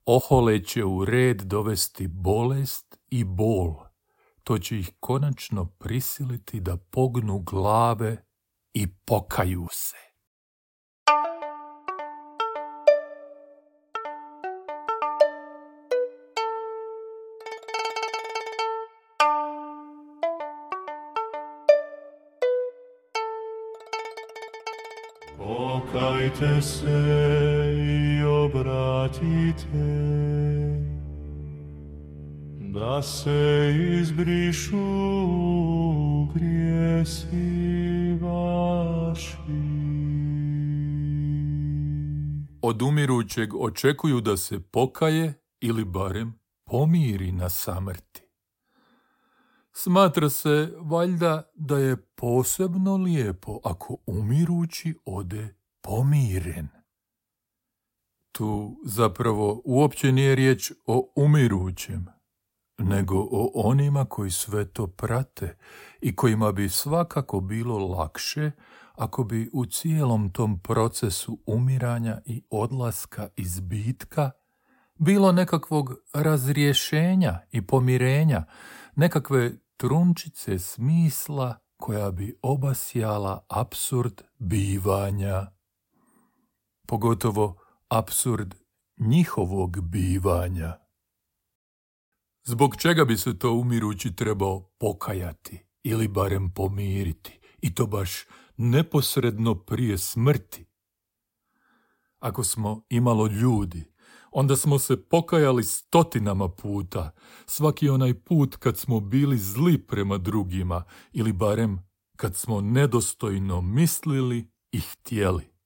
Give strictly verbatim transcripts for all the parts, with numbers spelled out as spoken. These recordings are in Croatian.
ohole će u red dovesti bolest i bol. To će ih konačno prisiliti da pognu glave i pokaju se. Pokajte se i obratite, da se izbrišu grijesi vaši. Od umirućeg očekuju da se pokaje ili barem pomiri na samrti. Smatra se valjda da je posebno lijepo ako umirući ode pomiren. Tu zapravo uopće nije riječ o umirućem, nego o onima koji sve to prate i kojima bi svakako bilo lakše ako bi u cijelom tom procesu umiranja i odlaska iz bitka bilo nekakvog razrješenja i pomirenja, nekakve trunčice smisla koja bi obasjala apsurd bivanja. Pogotovo apsurd njihovog bivanja. Zbog čega bi se to umirući trebao pokajati ili barem pomiriti, i to baš neposredno prije smrti? Ako smo imalo ljudi, onda smo se pokajali stotinama puta, svaki onaj put kad smo bili zli prema drugima ili barem kad smo nedostojno mislili i htjeli.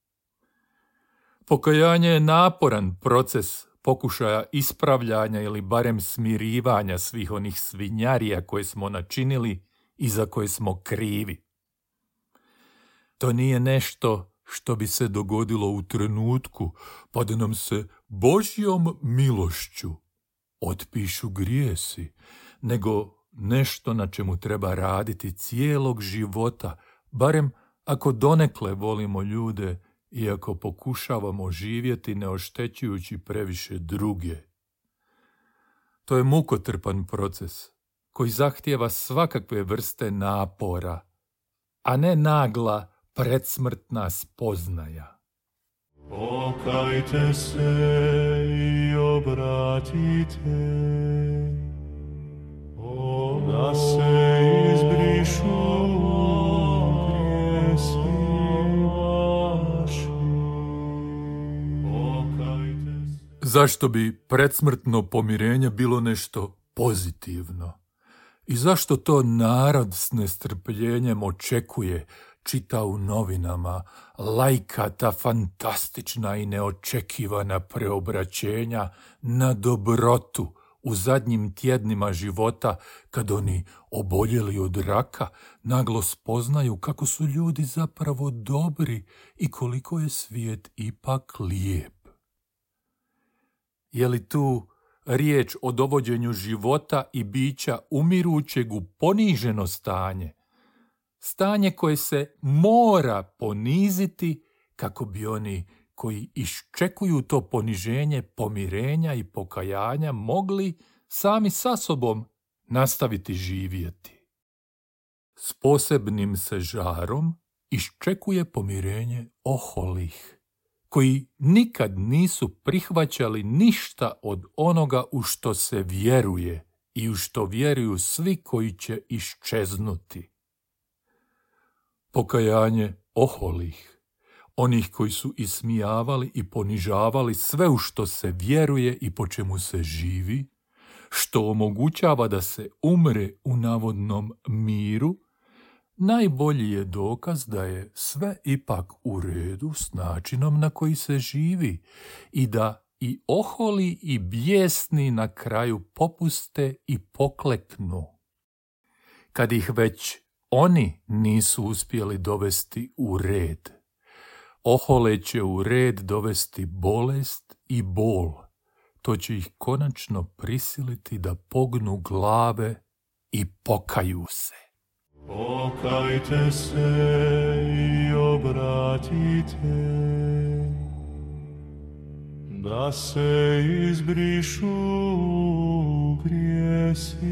Pokajanje je naporan proces pokušaja ispravljanja ili barem smirivanja svih onih svinjarija koje smo načinili i za koje smo krivi. To nije nešto što bi se dogodilo u trenutku, pa da nam se Božjom milošću otpišu grijesi, nego nešto na čemu treba raditi cijelog života, barem ako donekle volimo ljude i ako pokušavamo živjeti ne oštećujući previše druge. To je mukotrpan proces koji zahtijeva svakakve vrste napora, a ne nagla predsmrtna spoznaja. Pokajte se i obratite, da se izbrišu grijesi vaši. Pokajte se. Zašto bi predsmrtno pomirenje bilo nešto pozitivno? I zašto to narod s nestrpljenjem očekuje, čita u novinama, lajka ta fantastična i neočekivana preobraćenja na dobrotu u zadnjim tjednima života, kad oni oboljeli od raka naglo spoznaju kako su ljudi zapravo dobri i koliko je svijet ipak lijep. Je li tu riječ o dovođenju života i bića umirućeg u poniženo stanje? Stanje koje se mora poniziti kako bi oni koji iščekuju to poniženje pomirenja i pokajanja mogli sami sa sobom nastaviti živjeti. S posebnim se žarom iščekuje pomirenje oholih, koji nikad nisu prihvaćali ništa od onoga u što se vjeruje i u što vjeruju svi koji će iščeznuti. Pokajanje oholih, onih koji su ismijavali i ponižavali sve u što se vjeruje i po čemu se živi, što omogućava da se umre u navodnom miru, najbolji je dokaz da je sve ipak u redu s načinom na koji se živi i da i oholi i bijesni na kraju popuste i pokleknu. Kad ih već oni nisu uspjeli dovesti u red, ohole će u red dovesti bolest i bol. To će ih konačno prisiliti da pognu glave i pokaju se. Pokajte se i obratite, da se izbrišu grijesi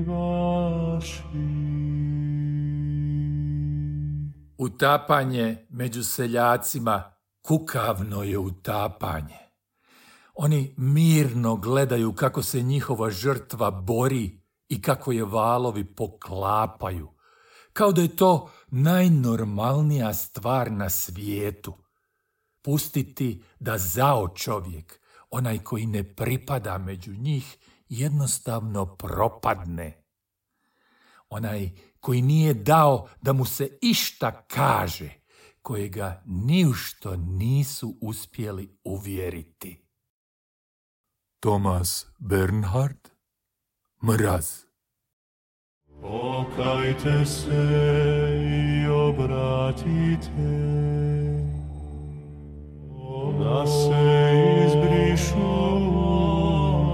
vaši. Utapanje među seljacima kukavno je utapanje. Oni mirno gledaju kako se njihova žrtva bori i kako je valovi poklapaju, kao da je to najnormalnija stvar na svijetu. Pustiti da zao čovjek, onaj koji ne pripada među njih, jednostavno propadne. Onaj koji nije dao da mu se išta kaže, kojega ni u što nisu uspjeli uvjeriti. Thomas Bernhard, Mraz. Pokajte se i obratite, da se izbrišu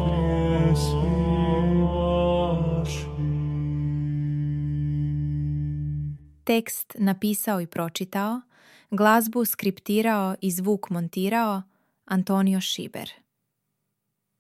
grijesi vaši. Tekst napisao i pročitao, glazbu skriptirao i zvuk montirao Antonio Šiber.